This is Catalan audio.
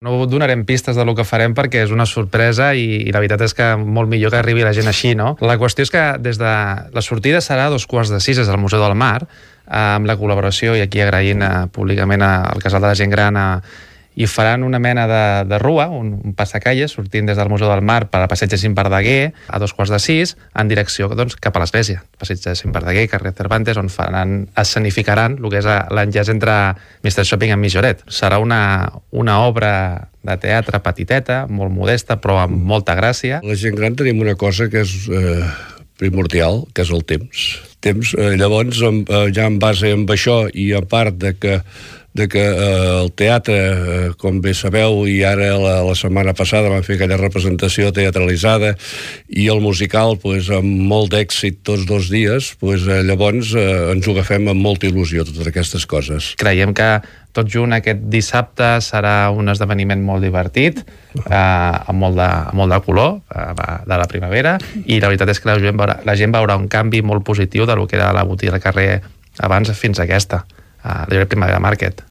No donarem pistes del que farem perquè és una sorpresa i la veritat és que molt millor que arribi la gent així, no? La qüestió és que des de la sortida serà a 5:45 al Museu del Mar, amb la col·laboració, i aquí agraint públicament al Casal de la Gent Gran, i faran una mena de rua, un passacalles, sortint des del Museu del Mar per al passeig de Cim Verdaguer a 5:45 en direcció cap a l'església. Passeig de Cim Verdaguer, carrer Cervantes, on escenificaran el que és l'enllaç entre Mr. Shopping i Mijoret. Serà una obra de teatre petiteta, molt modesta, però amb molta gràcia. La gent gran tenim una cosa que és primordial, que és el temps. Llavors, ja en base amb això i a part de que el teatre, com bé sabeu, i ara la setmana passada van fer aquella representació teatralitzada, i el musical amb molt d'èxit tots 2 dies, llavors ens ho agafem amb molta il·lusió, totes aquestes coses. Creiem que tot junt aquest dissabte serà un esdeveniment molt divertit, amb molt de color de la primavera, i la veritat és que la gent veurà un canvi molt positiu del que era la botiga del carrer abans fins a aquesta, la Primavera Market.